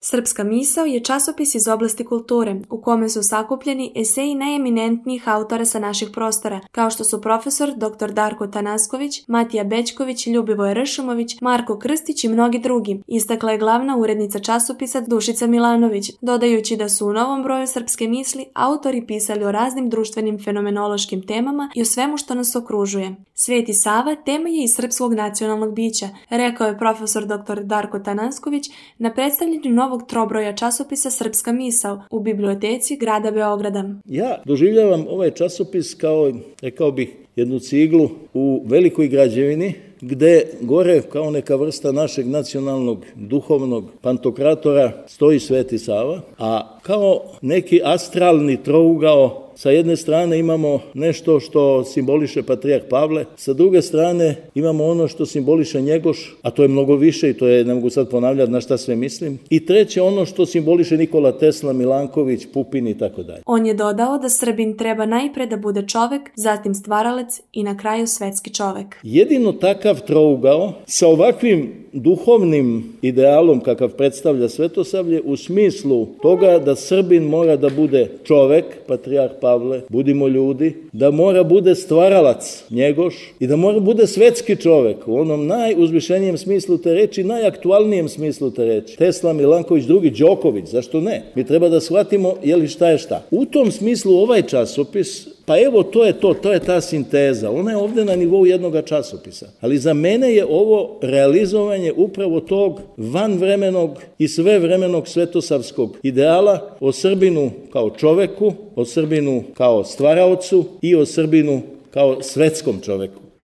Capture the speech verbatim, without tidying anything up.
Srpska misao je časopis iz oblasti kulture, u kome su sakupljeni eseji najeminentnijih autora sa naših prostora, kao što su profesor doktor Darko Tanasković, Matija Bećković, Ljubivoje Ršumović, Marko Krstić i mnogi drugi, istakla je glavna urednica časopisa Dušica Milanović, dodajući da su u novom broju Srpske misli autori pisali o raznim društvenim fenomenološkim temama i o svemu što nas okružuje. Sveti Sava tema je i srpskog nacionalnog bića, rekao je profesor doktor Darko Tanasković na predstavljanju novog trobroja časopisa Srpska misao u biblioteci grada Beograda. Ja doživljavam ovaj časopis kao, rekao bih, jednu ciglu u velikoj građevini, gde gore kao neka vrsta našeg nacionalnog duhovnog pantokratora stoji Sveti Sava, a kao neki astralni trougao sa jedne strane imamo nešto što simboliše patrijarh Pavle, sa druge strane imamo ono što simboliše Njegoš, a to je mnogo više i to je, ne mogu sad ponavljati na šta sve mislim, i treće ono što simboliše Nikola Tesla, Milanković, Pupin i tako dalje. On je dodao da Srbin treba najpre da bude čovek, zatim stvaralac i na kraju svetski čovek. Jedino takav trougao sa ovakvim duhovnim idealom kakav predstavlja Svetosavlje u smislu toga da Srbin mora da bude čovek, patrijarh Pavle, budimo ljudi, da mora bude stvaralac Njegoš i da mora bude svetski čovek u onom najuzvišenijem smislu te reči, najaktualnijem smislu te reči. Tesla, Milanković, drugi, Đoković, zašto ne? Mi treba da shvatimo je li šta je šta. U tom smislu ovaj časopis, pa evo to je to, to je ta sinteza. Ona je ovde na nivou jednog časopisa. Ali za mene je ovo realizovanje upravo tog vanvremenog i svevremenog svetosavskog ideala o Srbinu kao čoveku, o Srbinu kao stvaraocu i o Srbinu kao svetskom čoveku.